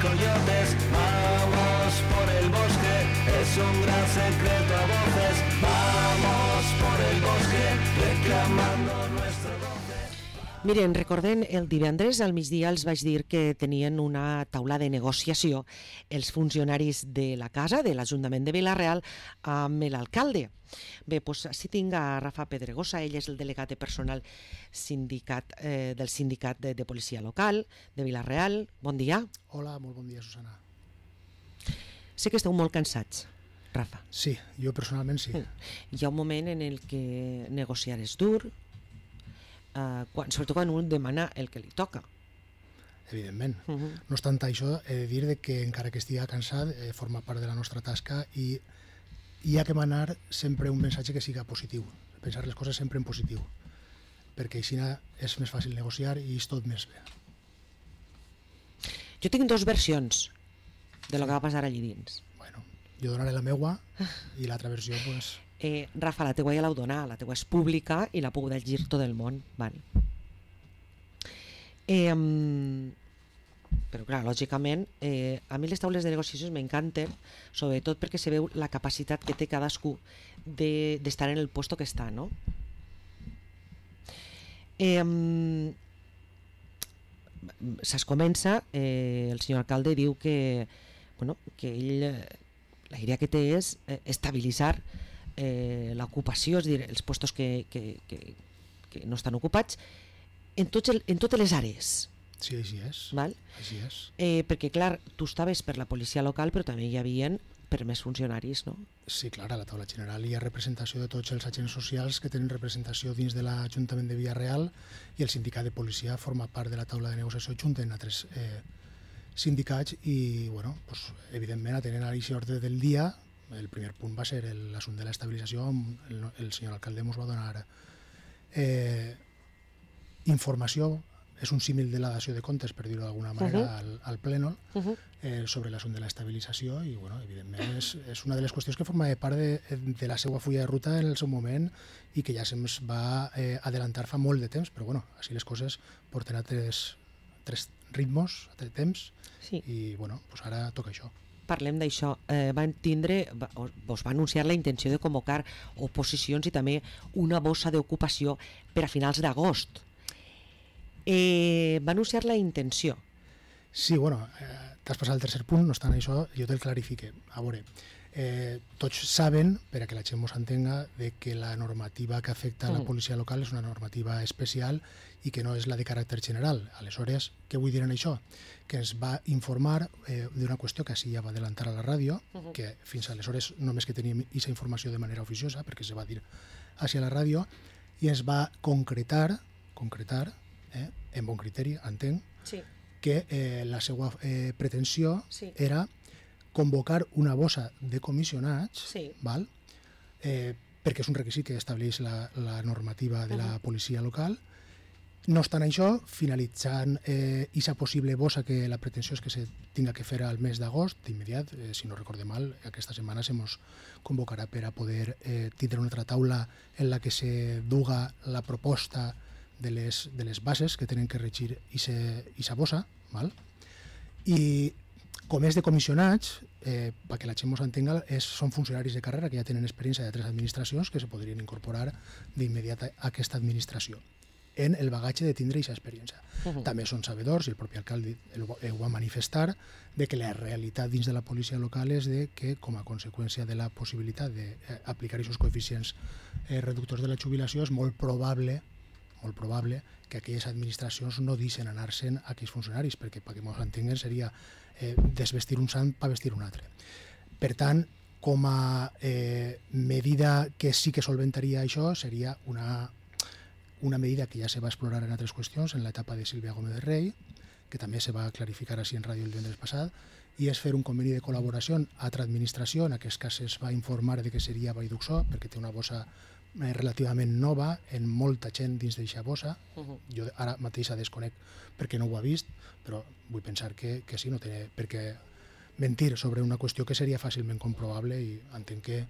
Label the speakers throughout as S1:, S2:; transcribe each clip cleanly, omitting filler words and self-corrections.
S1: coyotes. Vamos por el bosque, es un gran secreto a voces. Vamos por el bosque, reclamando nuestro goce.
S2: Miren, recorden, el divendres al migdia els vaig dir que tenien una taula de negociació els funcionaris de la casa, de l'Ajuntament de Vila-real, amb l'alcalde. Bé, doncs així tinc a Rafa Pedregosa, ell és el delegat de personal del sindicat de policia local de Vila-real. Bon dia.
S3: Hola, molt bon dia, Susana.
S2: Sé que esteu molt cansats, Rafa.
S3: Sí, jo personalment sí.
S2: Hi ha un moment en el que negociar és dur, sobretot quan un demana el que li toca.
S3: Evidentment. No obstant això, he de dir que encara que estigui cansat, forma part de la nostra tasca i hi ha que manar sempre un missatge que siga positiu, pensar les coses sempre en positiu, perquè així és més fàcil negociar i és tot més bé.
S2: Jo tinc dues versions de lo que va passar allí dins.
S3: Bueno, jo donaré la meua i l'altra versió, pues...
S2: Rafa, la teua ja l'heu donat, la teua és pública i la puc llegir tot el món. Val. Però clar, lògicament, a mi les taules de negociacions m'encanten, sobretot perquè se veu la capacitat que té cadascú d'estar en el puesto que està, no? S'escomença, el senyor alcalde diu que ell, la idea que té és estabilitzar l'ocupació, és a dir, els puestos que no estan ocupats en totes les àrees.
S3: Sí, així és.
S2: Val?
S3: Així és.
S2: Perquè, clar, tu estaves per la policia local, però també hi havia per més funcionaris, no?
S3: Sí, clar, a la taula general hi ha representació de tots els agents socials que tenen representació dins de l'Ajuntament de Vila-real i el sindicat de policia forma part de la taula de negociació junt amb altres sindicats i, bueno, pues, evidentment, atenent a aquest ordre del dia, el primer punt va ser l'assumpte de l'estabilització, el senyor alcalde ens va donar informació, és un símil de la dació de comptes, per dir-ho d'alguna manera, al pleno, sobre l'assumpte de l'estabilització i, bueno, evidentment, és una de les qüestions que forma part de la seva fulla de ruta en el seu moment i que ja se'ns va adelantar fa molt de temps, però, bueno, així les coses porten a tres ritmos, a tres temps, i, bueno, doncs ara toca això.
S2: Parlem d'això. Vos va anunciar la intenció de convocar oposicions i també una bossa d'ocupació per a finals d'agost. Va anunciar la intenció.
S3: Sí, bueno, t'has passat el tercer punt, no obstant això, jo te'l clarifique. A veure, tots saben, per a que la gent mos entenga, que la normativa que afecta a la policia local és una normativa especial i que no és la de caràcter general. Aleshores, què vull dir en això? Que ens va informar d'una qüestió que així ja va adelantar a la ràdio, que fins aleshores només que teníem aquesta informació de manera oficiosa, perquè se va dir així a la ràdio, i ens va concretar, en bon criteri, entenc, que la seva pretensió era convocar una bossa de comissionats, perquè és un requisit que estableix la normativa de la policia local. No obstant això, finalitzant aquesta possible bossa, que la pretensió és que se tinga que fer al mes d'agost, d'immediat, si no recorde mal, aquesta setmana se mos convocarà per a poder tindre una altra taula en la que se duga la proposta de les bases que tenen que regir aquesta bossa, i com és de comissionats, perquè la gent mos entenga, són funcionaris de carrera que ja tenen experiència d'altres administracions que se podrien incorporar d'immediat a aquesta administració en el bagatge de tindre aquesta experiència. També són sabedors, i el propi alcalde ho va manifestar, de que la realitat dins de la policia local és que, com a conseqüència de la possibilitat d'aplicar aquests coeficients reductors de la jubilació, és molt probable que aquelles administracions no deixen anar-se'n a aquells funcionaris, perquè ens entenguen seria desvestir un sant per vestir un altre. Per tant, com a medida que sí que solventaria això, seria una medida que ja se va explorar en altres qüestions, en l'etapa de Sílvia Gómez de Rey, que també se va clarificar així en ràdio el divendres passat, i és fer un conveni de col·laboració amb altra administració. En aquest cas es va informar de que seria Vallduxó, perquè té una bossa relativament nova, en molta gent dins d'aquesta bossa. Jo ara mateix la desconec perquè no ho ha vist, però vull pensar que sí, no té per què mentir sobre una qüestió que seria fàcilment comprovable, i entenc que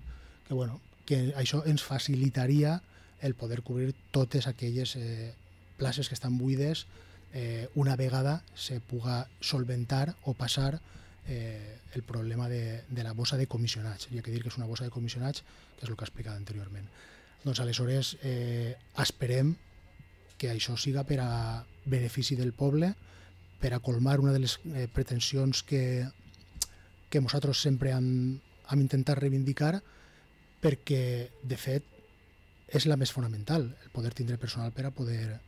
S3: això ens facilitaria el poder cobrir totes aquelles places que estan buides una vegada se puga solventar o passar el problema de la bossa de comissionats. Hi ha que dir que és una bossa de comissionats, que és el que he explicat anteriorment. Doncs aleshores esperem que això siga per a benefici del poble, per a colmar una de les pretensions que nosaltres sempre hem intentat reivindicar, perquè, de fet, és la més fonamental, el poder tindre personal per a poder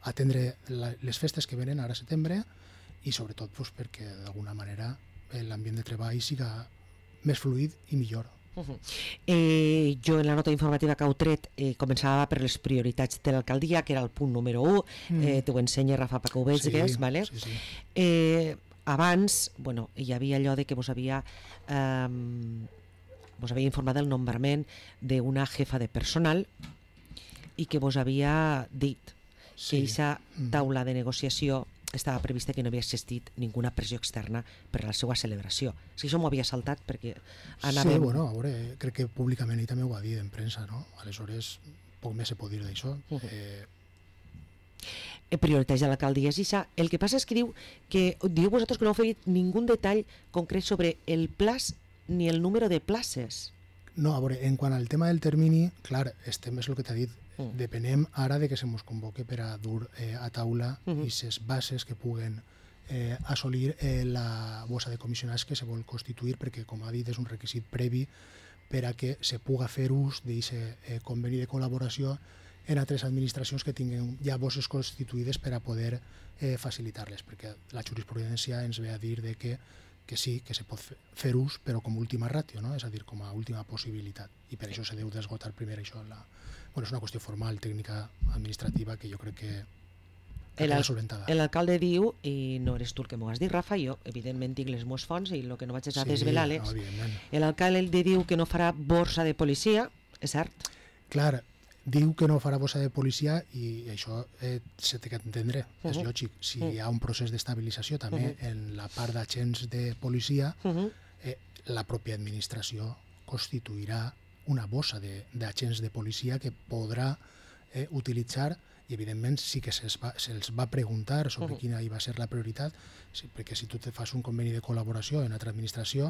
S3: atendre les festes que venen ara a setembre i sobretot perquè d'alguna manera l'ambient de treball siga més fluid i millor.
S2: Jo en la nota informativa que heu tret començava per les prioritats de l'alcaldia, que era el punt número 1, t'ho ensenya Rafa perquè ho veges, vale? Abans hi havia allò de que vos havia informat del nombrament d'una jefa de personal i que vos havia dit que aquesta taula de negociació estava prevista que no havia existit ninguna pressió externa per a la seva celebració. Si això m'ho havia saltat perquè anàvem...
S3: Sí, a veure, crec que públicament ell també ho va dir en premsa, no? Aleshores, poc més se pot dir d'això.
S2: Prioritats de l'alcaldia és això. El que passa és que diu vosaltres que no heu fet ningú detall concret sobre el plaç ni el número de places.
S3: No, a veure, en quant al tema del termini, clar, estem, és el que t'ha dit, depenem ara de que se mos convoque per a dur a taula aquestes bases que puguen assolir la bossa de comissionats que se vol constituir, perquè, com ha dit, és un requisit previ per a que se puga fer ús d'aquest conveni de col·laboració en altres administracions que tinguin ja bosses constituïdes per a poder facilitar-les, perquè la jurisprudència ens ve a dir que sí, que se pot fer ús, però com a última ràtio, no? És a dir, com a última possibilitat. I per això se deu d'esgotar primer això. És una qüestió formal, tècnica, administrativa, que jo crec que queda solventada.
S2: L'alcalde diu, i no eres tu el que m'ho has dit, Rafa, jo evidentment tinc les meves fonts i el que no vaig a desvelar-les. L'alcalde diu que no farà borsa de policia, és cert?
S3: Clar, diu que no farà bossa de policia i això s'ha d'entendre, és lògic. Si hi ha un procés d'estabilització també en la part d'agents de policia, la pròpia administració constituirà una bossa d'agents de policia que podrà utilitzar i evidentment sí que se'ls va preguntar sobre quina hi va ser la prioritat, perquè si tu te fas un conveni de col·laboració en altra administració,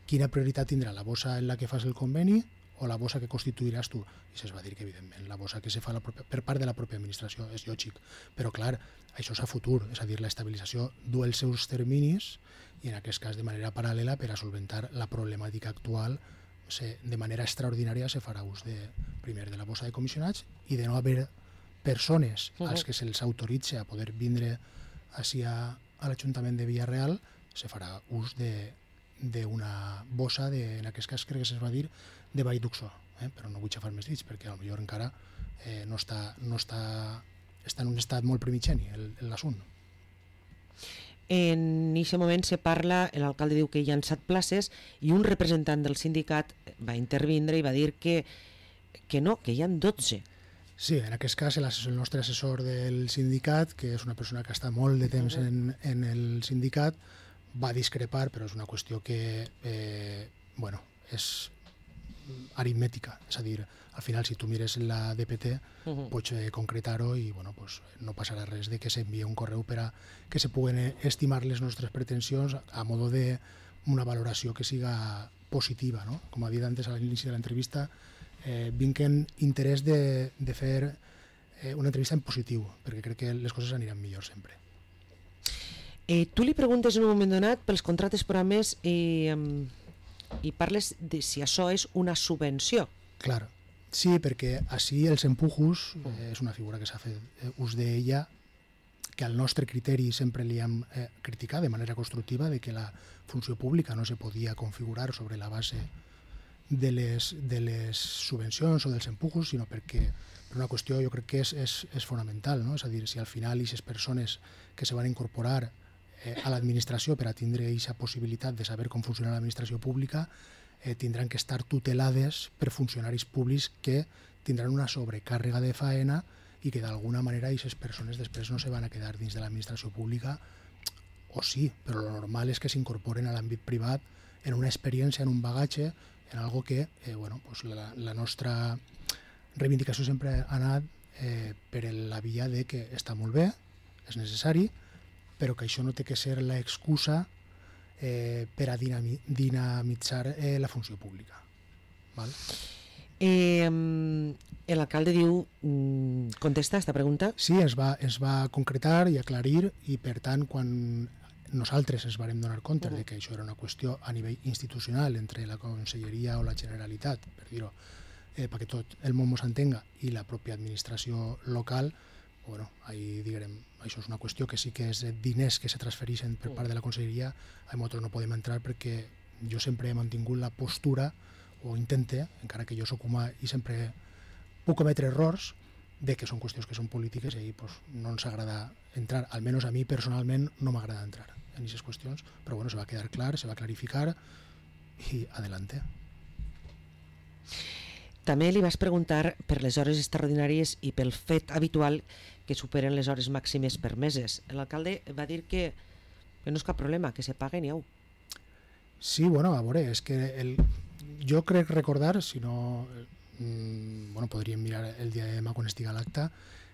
S3: quina prioritat tindrà, la bossa en la que fas el conveni o la bossa que constituiràs tu? I se'ls va dir que evidentment la bossa que se fa per part de la pròpia administració és lògic, però clar, això és a futur, és a dir, l'estabilització du els seus terminis i en aquest cas de manera paral·lela per a solventar la problemàtica actual de manera extraordinària se farà ús primer de la bossa de comissionats i de no haver persones als que se'ls autoritza a poder vindre així a l'Ajuntament de Villarreal, se farà ús d'una bossa, en aquest cas crec que se'ls va dir, de Vall d'Uxó, però no vull xafar més dits perquè potser encara està en un estat molt primigeni l'assunt.
S2: En aquest moment se parla, l'alcalde diu que hi ha 7 places i un representant del sindicat va intervindre i va dir que no, que hi ha 12.
S3: Sí, en aquest cas el nostre assessor del sindicat, que és una persona que està molt de temps en el sindicat, va discrepar, però és una qüestió que és aritmètica, és a dir, al final si tu mires la DPT pots concretar-ho i no passarà res de que s'envia un correu per a que se puguen estimar les nostres pretensions a modo d'una valoració que siga positiva, no? Com ha dit antes a l'inici de l'entrevista, vinc en interès de fer una entrevista en positiu, perquè crec que les coses aniran millor sempre.
S2: Tu li preguntes en un moment donat pels contractes programes i parles de si això és una subvenció.
S3: Clar, sí, perquè així els empujos és una figura que s'ha fet ús d'ella, que al nostre criteri sempre li hem criticat de manera constructiva de que la funció pública no se podia configurar sobre la base de les subvencions o dels empujos, sinó perquè per una qüestió jo crec que és fonamental, no? És a dir, si al final aquestes persones que se van incorporar a l'administració per a tindre aquesta possibilitat de saber com funciona l'administració pública tindran que estar tutelades per funcionaris públics que tindran una sobrecàrrega de faena i que d'alguna manera aquestes persones després no se van a quedar dins de l'administració pública, o sí, però lo normal és que s'incorporen a l'àmbit privat en una experiència, en un bagatge, en algo que la nostra reivindicació sempre ha anat per la via de que està molt bé és necessari, però que això no té que ser l'excusa per a dinamitzar la funció pública. Val?
S2: L'alcalde diu, contesta esta pregunta?
S3: Sí, es va concretar i aclarir, i per tant, quan nosaltres ens vàrem donar compte de que això era una qüestió a nivell institucional entre la Conselleria o la Generalitat, per dir-ho, perquè tot el món s'entenga, i la pròpia administració local, bueno, ahí diguem, això és una qüestió que sí que és diners que se transfereixen per part de la Conselleria, nosaltres no podem entrar perquè jo sempre he mantingut la postura, o intente, encara que jo soc humà i sempre puc cometre errors, de que són qüestions que són polítiques i ahí pues, no ens agrada entrar, almenys a mi personalment no m'agrada entrar en aquestes qüestions, però bueno, se va quedar clar, se va clarificar i adelante.
S2: També li vas preguntar per les hores extraordinàries i pel fet habitual que superen les hores màximes permeses. L'alcalde va dir que no és cap problema, que se paguen i au.
S3: Sí, bueno, a veure, és que jo crec recordar, si no... bueno, podríem mirar el dia de demà quan estigui a l'acte,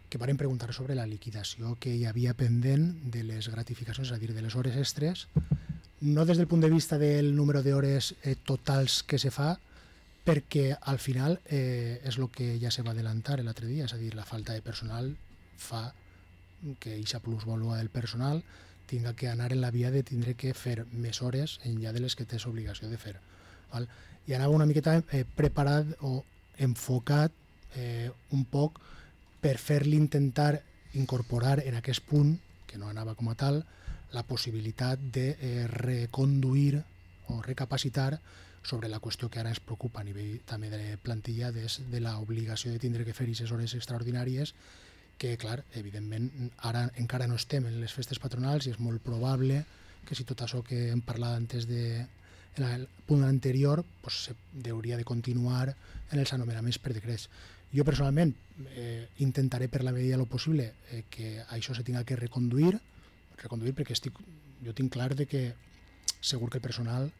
S3: que varen preguntar sobre la liquidació que hi havia pendent de les gratificacions, és a dir, de les hores extres, no des del punt de vista del número d'hores totals que se fa, perquè al final és el que ja se va adelantar l'altre dia, és a dir, la falta de personal fa que aquesta plusvàlua del personal tinga que anar en la via de tindre que fer més hores enllà de les que tens obligació de fer. Val? I anava una miqueta preparat o enfocat un poc per fer-li intentar incorporar en aquest punt, que no anava com a tal, la possibilitat de reconduir o recapacitar sobre la qüestió que ara ens preocupa a nivell també de plantilla, de l'obligació de tindre que fer aquestes hores extraordinàries, que, clar, evidentment, ara encara no estem en les festes patronals i és molt probable que si tot això que hem parlat antes en el punt anterior pues, hauria de continuar en els anomenaments per decrets. Jo personalment intentaré per la medida del possible que això se tinga que reconduir perquè jo tinc clar de que segur que el personal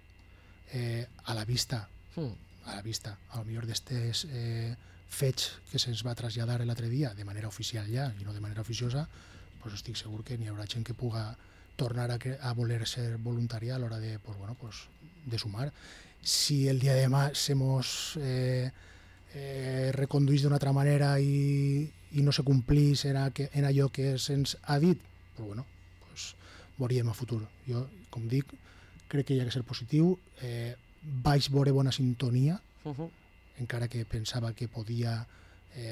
S3: a la vista, a lo millor d'estes fets que se'ns va traslladar l'altre dia de manera oficial ja i no de manera oficiosa, pues estic segur que n'hi haurà gent que puga tornar a voler ser voluntària a l'hora de, pues, bueno, pues, de sumar. Si el dia de demà se mos reconduís d'una altra manera i no se complís en allò que se'ns ha dit, pues, bueno, pues, veuríem a futur. Jo, com dic, crec que hi ha que ser positiu. Vaig veure bona sintonia, encara que pensava que podia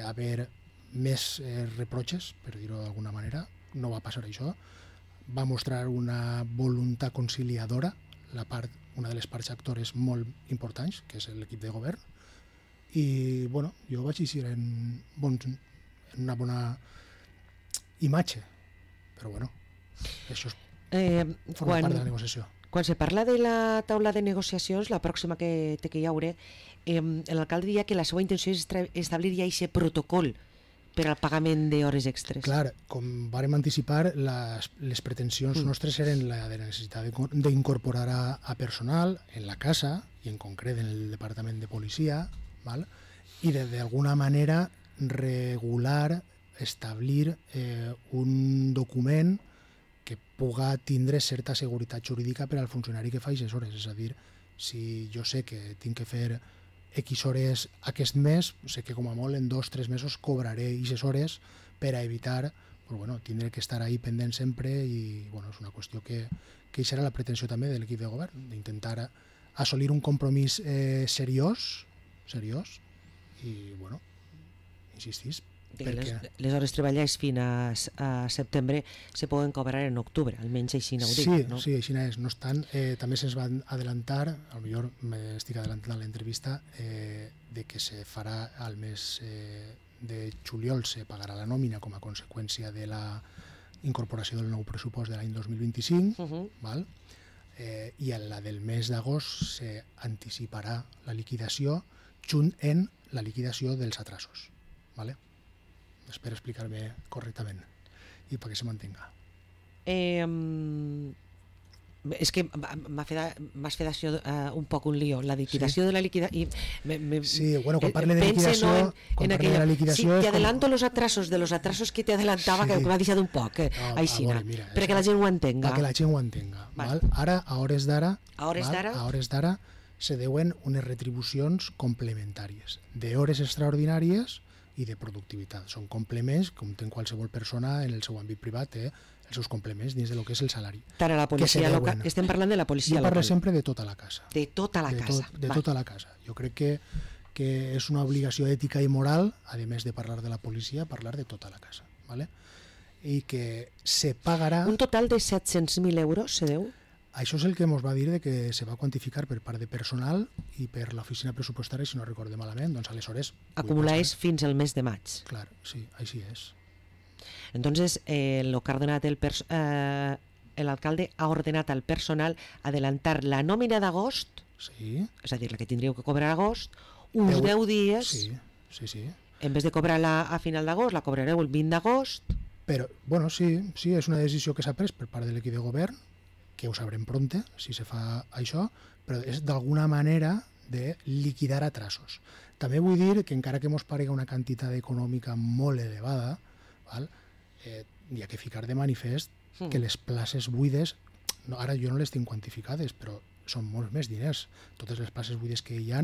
S3: haver més reproches, per dir-ho d'alguna manera. No va passar això. Va mostrar una voluntat conciliadora, una de les parts actores molt importants, que és l'equip de govern, i bueno, jo vaig eixir en una bona imatge, però bueno, això forma part de la negociació.
S2: Quan se parla de la taula de negociacions, la pròxima que hi haurà, l'alcalde deia que la seva intenció és establir ja aquest protocol per al pagament d'hores extres.
S3: Clar, com vàrem anticipar, les pretensions nostres eren la de la necessitat d'incorporar a personal en la casa i en concret en el departament de policia, val? I d'alguna manera regular, establir un document que puga tindre certa seguretat jurídica per al funcionari que fa aquestes hores. És a dir, si jo sé que tinc que fer X hores aquest mes, sé que com a molt en 2 o 3 mesos cobraré aquestes hores per a evitar pues, bueno, tindre que estar ahí pendent sempre i bueno, és una qüestió que això era la pretensió també de l'equip de govern, d'intentar assolir un compromís seriós i bueno, insistís.
S2: Les hores treballades fins a setembre se poden cobrar en octubre, almenys així no ho dic.
S3: Sí,
S2: no?
S3: Sí, així és. No obstant, també se'ns va adelantar, potser m'estic adelantant a l'entrevista, de que se farà al mes de juliol, se pagarà la nòmina com a conseqüència de la incorporació del nou pressupost de l'any 2025, val? I a la del mes d'agost s'anticiparà la liquidació junt en la liquidació dels atrasos. Vale? Espero explicar-me correctament i perquè se mantenga.
S2: És que m'has fet això un poc un lío, la liquidació de la liquidació.
S3: Sí, bueno, quan parle de liquidació,
S2: sí, te adelanto los atrasos que te adelantava, que m'ha deixat un poc, així, perquè la gent ho entenga.
S3: Perquè la gent ho entenga. Ara, a hores d'ara, se deuen unes retribucions complementàries, d'hores extraordinàries i de productivitat. Són complements, com té qualsevol persona en el seu àmbit privat, els seus complements dins del que és el salari.
S2: Tant a la policia local, estem parlant de la policia local.
S3: Jo parlo sempre de tota la casa.
S2: De tota la casa.
S3: De tota la casa. Jo crec que és una obligació ètica i moral, a més de parlar de la policia, parlar de tota la casa. ¿Vale? I que se pagarà...
S2: Un total de 700.000 euros se deu?
S3: Això és el que ens va dir de que se va quantificar per part de personal i per l'oficina pressupostària, si no recordem malament, doncs aleshores...
S2: Acumuláis fins al mes de maig.
S3: Clar, sí, així és.
S2: Entonces, el alcalde ha ordenat al personal adelantar la nòmina d'agost,
S3: sí.
S2: És a dir, la que tindríeu que cobrar a agost, uns 10 dies,
S3: sí.
S2: En vez de cobrar-la a final d'agost, la cobrareu el 20 d'agost.
S3: Però, bueno, sí, és una decisió que s'ha pres per part de l'equip de govern, que ho sabrem pronte, si se fa això, però és d'alguna manera de liquidar atrasos. També vull dir que encara que ens parega una quantitat econòmica molt elevada, hi ha que ficar de manifest que les places buides, ara jo no les tinc quantificades, però són molts més diners. Totes les places buides que hi ha,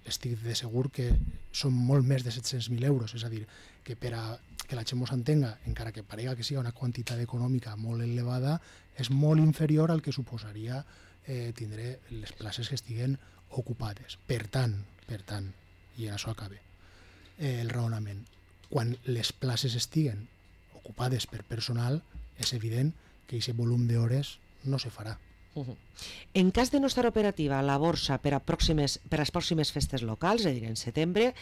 S3: estic de segur que són molt més de 700.000 euros, és a dir, que per a que la gent mos entenga, encara que parega que sigui una quantitat econòmica molt elevada, és molt inferior al que suposaria tindre les places que estiguen ocupades. Per tant, i en això acabe el raonament, quan les places estiguen ocupades per personal, és evident que aquest volum d'hores no se farà.
S2: En cas de no estar operativa la borsa per a les pròximes festes locals, és a dir, en setembre,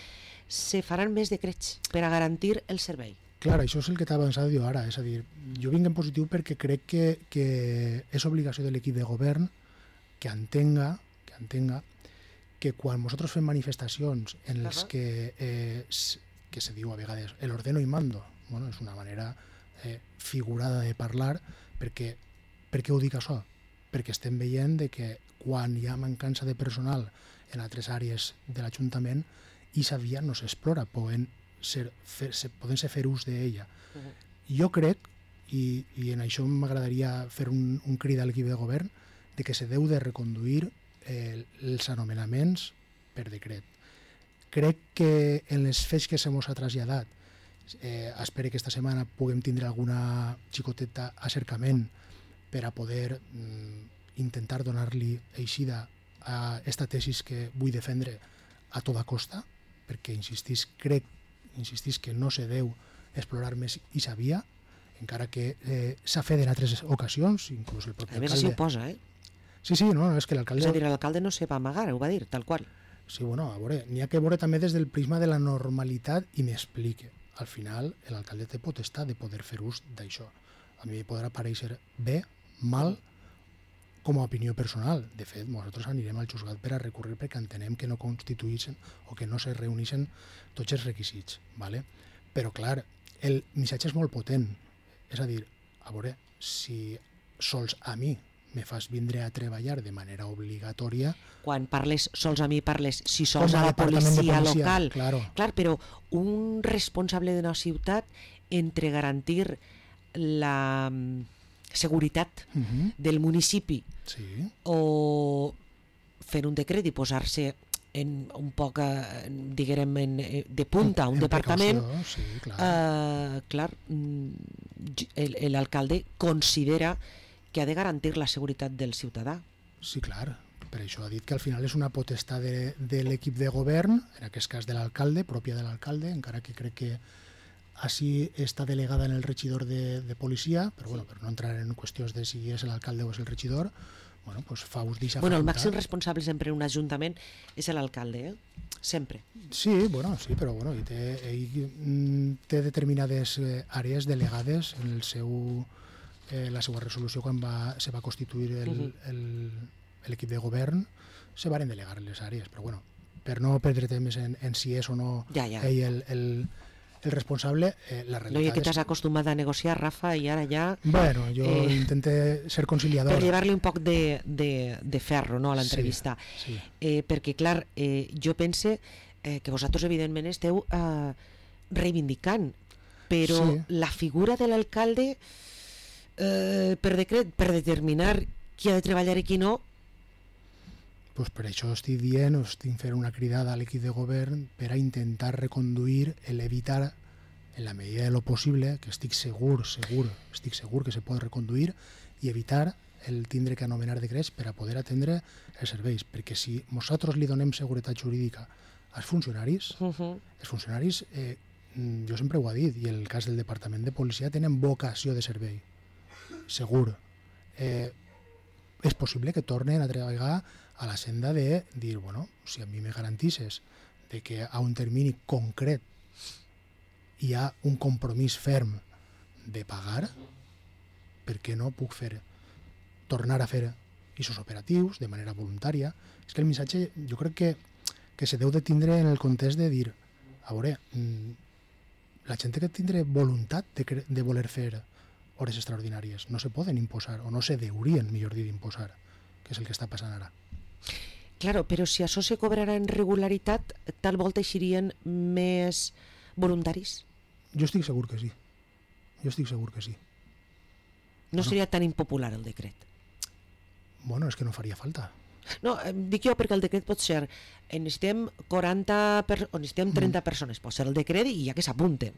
S2: se faran més decrets per a garantir el servei.
S3: Clar, això és el que t'ha avançat jo ara, és a dir, jo vinc en positiu perquè crec que és obligació de l'equip de govern que entenga que quan nosaltres fem manifestacions en les que se diu a vegades el ordeno y mando, bueno, és una manera figurada de parlar, perquè ho dic això? Perquè estem veient que quan hi ha mancança de personal en altres àrees de l'Ajuntament, aquesta via no s'explora, poden ser fer ús d'ella. Jo crec, i en això m'agradaria fer un crit a l'equip de govern, de que se deu de reconduir els anomenaments per decret. Crec que en les fets que se mos ha traslladat, espero que esta setmana puguem tindre alguna xicoteta acercament per a poder intentar donar-li eixida a esta tesis que vull defendre a tota costa, perquè insistís que no se deu explorar més aquesta via, encara que s'ha fet en altres ocasions, inclús el propi alcalde...
S2: A més, s'hi oposa,
S3: Sí, no, és que l'alcalde...
S2: És a dir, l'alcalde no se va amagar, ho va dir, tal qual.
S3: Sí, bueno, a veure, n'hi ha que veure també des del prisma de la normalitat i m'explique. Al final, l'alcalde té potestat de poder fer ús d'això. A mi podrà parèixer bé, mal, com a opinió personal. De fet, nosaltres anirem al juzgat per a recurrir perquè entenem que no constituïssin o que no se reuneixen tots els requisits. ¿Vale? Però, clar, el missatge és molt potent. És a dir, a veure, si sols a mi me fas vindre a treballar de manera obligatòria...
S2: Quan parles sols a mi, parles si sols a la policia local.
S3: Claro.
S2: Clar, però un responsable d'una ciutat, entre garantir la seguretat del municipi o fer un decret i posar-se en un poc, diguem, de punta, un departament, clar, l'alcalde considera que ha de garantir la seguretat del ciutadà.
S3: Sí, clar. Per això ha dit que al final és una potestat de l'equip de govern, en aquest cas de l'alcalde, pròpia de l'alcalde, encara que crec que així està delegada en el regidor de policia, però bueno, per no entrar en qüestions de si és l'alcalde o és el regidor, bueno, pues fa ús d'eixa facultat.
S2: Bueno, el màxim responsable sempre en un ajuntament és l'alcalde, sempre.
S3: Sí, bueno, sí, però bueno, ell té determinades àrees delegades en el seu... la seva resolució quan se va constituir l'equip de govern, se varen delegar les àrees, però bueno, per no perdre temps en si és o no ell el responsable, la
S2: No,
S3: realitat
S2: i que t'has acostumat a negociar, Rafa, i ara ja...
S3: Bueno, jo intente ser conciliador.
S2: Per llevar-li un poc de ferro, no, a l'entrevista.
S3: Sí.
S2: Perquè, clar, jo pense que vosaltres, evidentment, esteu reivindicant, però
S3: Sí.
S2: la figura de l'alcalde, per decret, per determinar qui ha de treballar i qui no,
S3: Pues per això estic dient, estic fent una cridada a l'equip de govern per a intentar reconduir, evitar, en la medida de lo possible, que estic segur que se pot reconduir i evitar el tindre que anomenar decrets per a poder atendre els serveis. Perquè si nosaltres li donem seguretat jurídica als funcionaris, els funcionaris, jo sempre ho he dit, i en el cas del Departament de Policia tenen vocació de servei, segur. És possible que tornen a treballar a la senda de dir, bueno, si a mi me garantisses de que a un termini concret hi ha un compromís ferm de pagar, per què no puc tornar a fer aquests operatius de manera voluntària? És que el missatge jo crec que se deu de tindre en el context de dir, a veure, la gent que tindre voluntat de voler fer hores extraordinàries no se poden imposar, o no se deurien, millor dir, imposar, que és el que està passant ara.
S2: Claro, però si això se cobrarà en regularitat, tal volta eixirien més voluntaris?
S3: Jo estic segur que sí.
S2: No seria tan impopular el decret?
S3: Bueno, és que no faria falta.
S2: No, dic jo perquè el decret pot ser necessitem 40 o necessitem 30 persones, pot ser el decret i ja que s'apunten.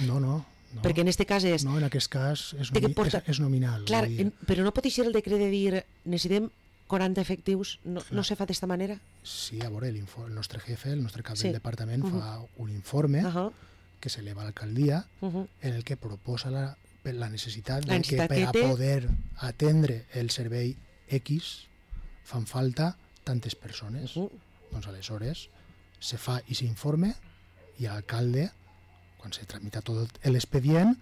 S3: No.
S2: Perquè en aquest cas és...
S3: No, en aquest cas és nominal.
S2: Clar, però no pot ser el decret de dir necessitem 40 efectius, no se fa d'esta manera?
S3: Sí, a veure, el nostre jefe, el nostre cap del departament fa un informe que s'eleva a l'alcaldia en el que proposa la necessitat de que per a poder atendre el servei X fan falta tantes persones. Doncs aleshores se fa aquest informe i l'alcalde, quan se tramita tot l'expedient,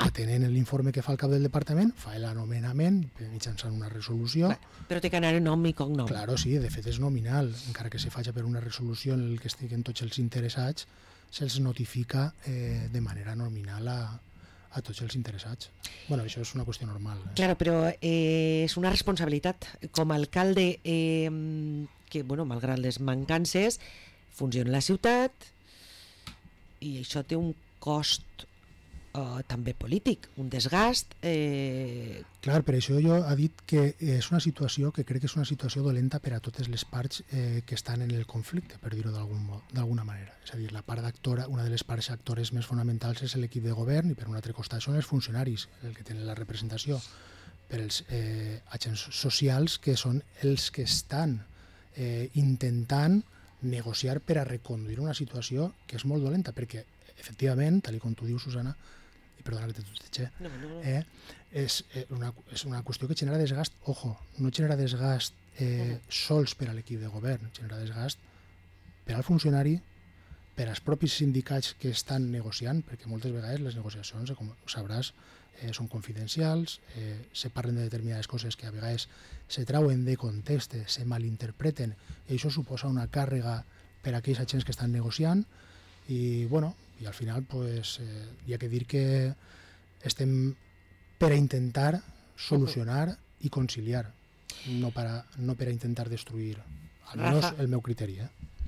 S3: atenent l'informe que fa el cap del departament, fa l'anomenament mitjançant una resolució.
S2: Però té que anar en nom i cognom.
S3: Claro, sí, de fet és nominal. Encara que se faci per una resolució en què estiguen tots els interessats, se'ls notifica de manera nominal a tots els interessats. Bueno, això és una qüestió normal.
S2: Claro, però és una responsabilitat. Com a alcalde, que, bueno, malgrat les mancances, funciona la ciutat i això té un cost també polític, un desgast.
S3: Clar, per això jo he dit que és una situació que crec que és una situació dolenta per a totes les parts que estan en el conflicte, per dir-ho d'alguna manera. És a dir, la part d'actora, una de les parts actores més fonamentals és l'equip de govern i per un altre costat són els funcionaris, el que tenen la representació, per els agents socials que són els que estan intentant negociar per a reconduir una situació que és molt dolenta, perquè efectivament, tal com tu dius, Susana, i perdona que te tutege, és una qüestió que genera desgast, ojo, no genera desgast sols per a l'equip de govern, genera desgast per al funcionari, per als propis sindicats que estan negociant, perquè moltes vegades les negociacions, com sabràs, són confidencials, se parlen de determinades coses que a vegades se trauen de context, se malinterpreten, i això suposa una càrrega per a aquells agents que estan negociant, i bueno, i al final pues, hi ha que dir que estem per a intentar solucionar i conciliar, no per a intentar destruir, almenys el meu criteri.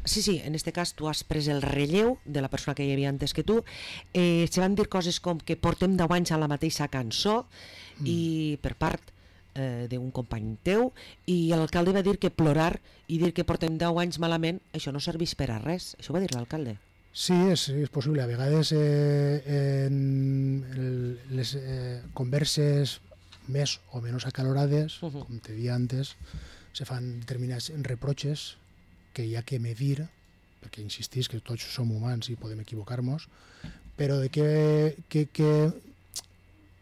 S2: Sí, en aquest cas tu has pres el relleu de la persona que hi havia antes que tu. Se van dir coses com que portem 10 anys a la mateixa cançó i per part d'un company teu, i l'alcalde va dir que plorar i dir que portem 10 anys malament, això no serveix per a res. Això va dir l'alcalde.
S3: Sí, és possible. A vegades en les converses més o menys acalorades, com te dia antes, se fan determinats reproches que hi ha que medir, perquè insistís que tots som humans i podem equivocar-nos, però de que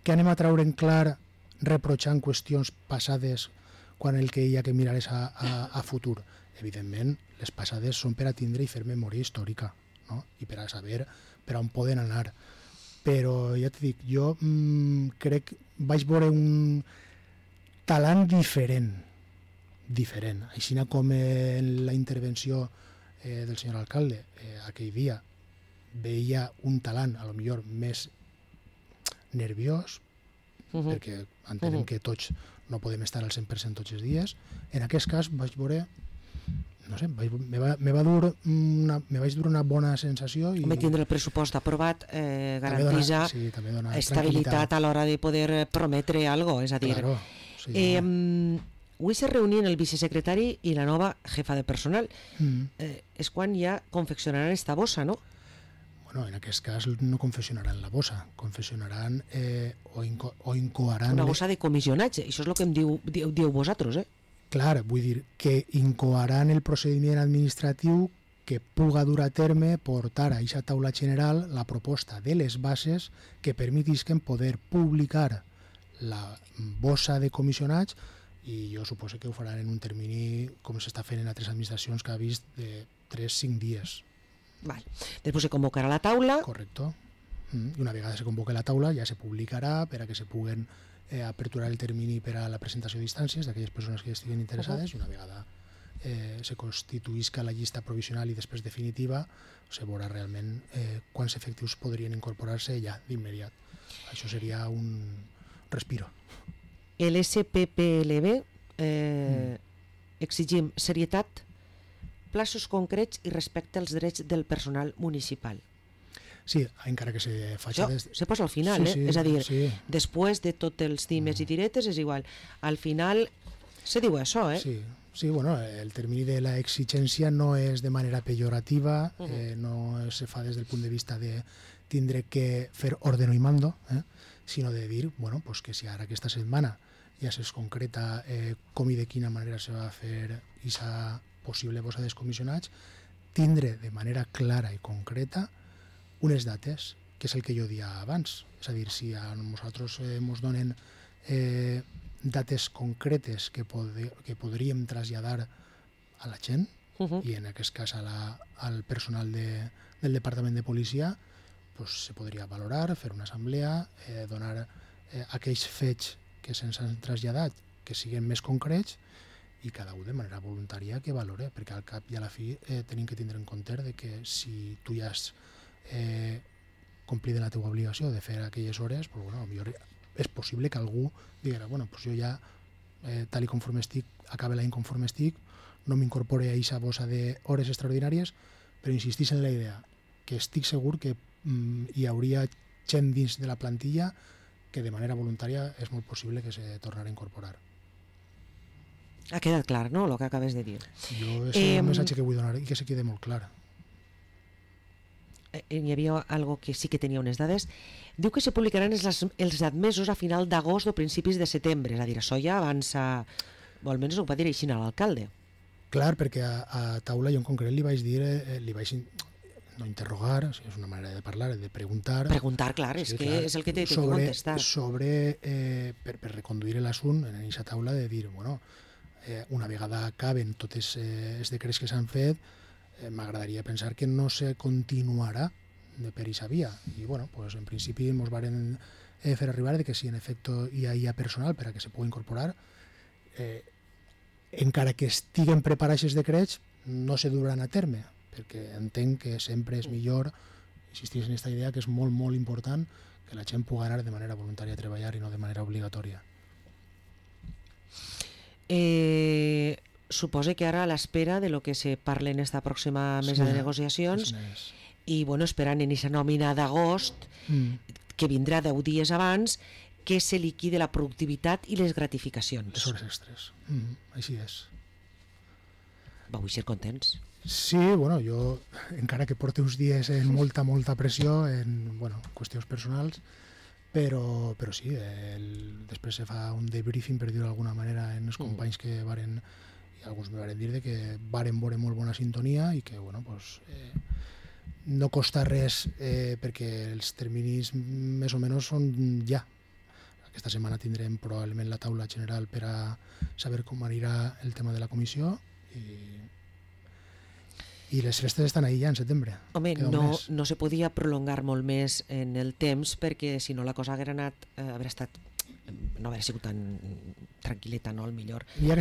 S3: anem a traure en clar reprotxant qüestions passades quan el que hi ha que mirar és a futur. Evidentment, les passades són per a tindre i fer memòria històrica, no? I per a saber per on poden anar. Però ja t'he dit, jo crec vaig veure un talant diferent, així com en la intervenció del senyor alcalde aquell dia veia un talant a lo millor més nerviós, perquè entenem que tots no podem estar al 100% tots els dies. En aquest cas vaig veure, no sé, me vaig dur una bona sensació. I
S2: tindre el pressupost aprovat garantija estabilitat a l'hora de poder prometre alguna cosa, és a dir...
S3: Claro, sí,
S2: avui se reunien el vicesecretari i la nova jefa de personal. És quan ja confeccionaran esta bossa, no?
S3: Bueno, en aquest cas no confeccionaran la bossa, confeccionaran o incoaran...
S2: Una bossa de comissionatge, això és el que em diu vosaltres,
S3: Clar, vull dir que incoaran el procediment administratiu que puga dur a terme portar a aquesta taula general la proposta de les bases que permetisquen poder publicar la bossa de comissionats, i jo suposo que ho faran en un termini com s'està fent en altres administracions que ha vist de 3-5 dies.
S2: Vale. Després se convocarà la taula.
S3: Correcto. I una vegada se convoque la taula ja se publicarà per a que se puguen aperturar el termini per a la presentació d'instàncies d'aquelles persones que estiguen interessades, i una vegada se constituïsca la llista provisional i després definitiva se veurà realment quants efectius podrien incorporar-se ja d'immediat. Això seria un respiro.
S2: El SPPLB exigim serietat, plaços concrets i respecte als drets del personal municipal.
S3: Sí, encara que se faci...
S2: Se posa al final,
S3: sí,
S2: és a dir,
S3: sí.
S2: Després de tots els times i diretes és igual. Al final se diu això,
S3: Sí, bueno, el termini de la exigència no és de manera pejorativa, no se fa des del punt de vista de tindre que fer ordeno y mando, sinó de dir, bueno, pues que si ara aquesta setmana ja es concreta com i de quina manera se va fer aquesta possible bossa descomissionats, tindre de manera clara i concreta unes dates, que és el que jo dia abans. És a dir, si a nosaltres ens donen dates concretes que podríem traslladar a la gent, i en aquest cas al personal del Departament de Policia, pues, se podria valorar, fer una assemblea, donar aquells fets que se'ns han traslladat que siguin més concrets, i cada un de manera voluntària que valore, perquè al cap i a la fi tenim que tindre en compte de que si tu ja has complit la teva obligació de fer aquelles hores, pues, bueno, millor és possible que algú digui, bueno, pues jo ja, tal i conforme estic, acabe l'any conforme estic, no m'incorpore a aquesta bossa d'hores extraordinàries, però insistís en la idea que estic segur que hi hauria gent dins de la plantilla que de manera voluntària és molt possible que se tornarà a incorporar.
S2: Ha quedat clar, no?, el que acabes de dir.
S3: Jo és un missatge que vull donar i que se quede molt clar.
S2: Hi havia algo que sí que tenia unes dades. Diu que se publicaran els admesos a final d'agost o principis de setembre, és a dir, això ja avança, o almenys ho va dir així a l'alcalde.
S3: Clar, perquè a taula jo en concret li vaig dir, no interrogar, és una manera de parlar, de preguntar.
S2: Preguntar, clar, és que és el que t'he de contestar.
S3: Per reconduir l'assunt en aquesta taula, de dir, bueno, una vegada acaben tots els decrets que s'han fet, m'agradaria pensar que no se continuarà per aquesta via. I, bueno, pues, en principi ens varen fer arribar de que si en efecte hi ha personal per a que se pugui incorporar, encara que estiguen preparats els decrets, no se duran a terme, perquè entenc que sempre és millor insistir en aquesta idea, que és molt, molt important que la gent pugui anar de manera voluntària a treballar i no de manera obligatòria.
S2: Suposo que ara a l'espera de lo que se parle en esta pròxima mesa de negociacions i, bueno, esperant en aquesta nòmina d'agost, que vindrà 10 dies abans, que se liquide la productivitat i les gratificacions.
S3: Les hores extres. Així és.
S2: Vau ser contents?
S3: Sí, bueno, jo, encara que porte uns dies en molta pressió, en qüestions personals, però sí, després se fa un debriefing, per dir-ho d'alguna manera, en els companys que varen, i alguns me varen dir que varen veure molt bona sintonia i que, bueno, pues, no costa res, perquè els terminis més o menys són ja. Aquesta setmana tindrem probablement la taula general per a saber com anirà el tema de la comissió i les festes estan ahí ja en setembre.
S2: Home, no se podia prolongar molt més en el temps, perquè si no la cosa hagués estat no haver sigut tan tranquil·leta, no? Al millor.
S3: Hi ha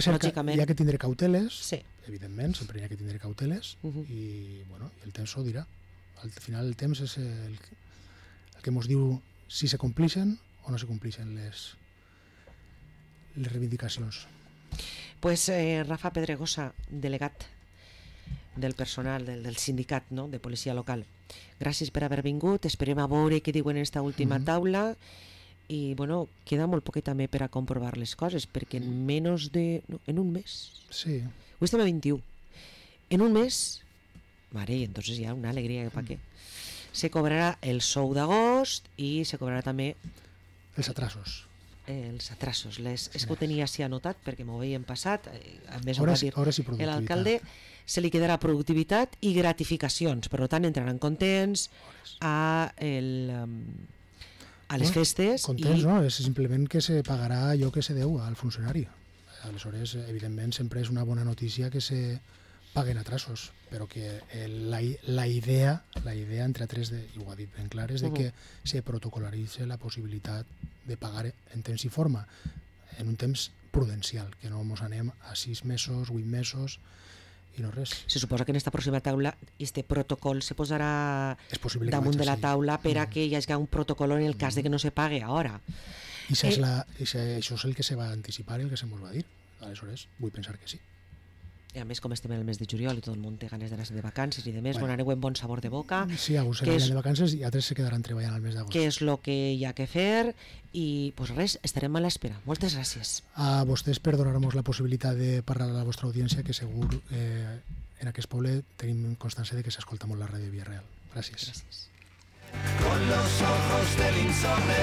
S3: que tindre cauteles,
S2: sí.
S3: Evidentment, sempre hi ha que tindre cauteles, i el temps ho dirà. Al final el temps és el que ens diu si se complixen o no se complixen les reivindicacions.
S2: Pues Rafa Pedregosa, delegat del personal del sindicat, no?, de policia local. Gràcies per haver vingut, esperem a veure què diuen en esta última taula i, bueno, queda molt poquet també per a comprovar les coses, perquè en menys de... No, en un mes.
S3: Sí.
S2: Avui estem a 21. En un mes, mare, i entonces hi ha una alegria que pa què. Se cobrarà el sou d'agost i se cobrarà també
S3: Els atrasos.
S2: els atrasos. És que ho tenia així anotat perquè m'ho veien passat, a més ho
S3: Hores
S2: va dir
S3: i productivitat.
S2: l'alcalde, se li quedarà productivitat i gratificacions, per tant entraran contents a les festes.
S3: Contents, no? És simplement que se pagarà allò que se deu al funcionari. Aleshores, evidentment, sempre és una bona notícia que se paguen atrasos, però que la idea entre altres, i ho ha dit ben clar, és de que se protocolaritza la possibilitat de pagar en temps i forma, en un temps prudencial, que no ens anem a 6 mesos, 8 mesos i no res.
S2: Se suposa que en esta pròxima taula este protocol se posarà damunt de la taula per a que hi hagi un protocol en el cas de que no se pague ara.
S3: I això és el que se va anticipar i el que se ens va dir. Aleshores, vull pensar que sí.
S2: I a més, com estem en el mes de juliol i tot el món té ganes d'anar de vacances i de més, bueno, aneu en bon sabor de boca.
S3: Sí, alguns se aniran de vacances i altres se quedaran treballant al mes d'agost.
S2: Què és el que hi ha que fer i, pues res, estarem a l'espera. Moltes gràcies.
S3: A vostès per donar-nos la possibilitat de parlar a la vostra audiència, que segur en aquest poble tenim constància de que s'escolta molt la ràdio Via Real. Gràcies.
S2: Gràcies.
S1: Con los ojos del insomne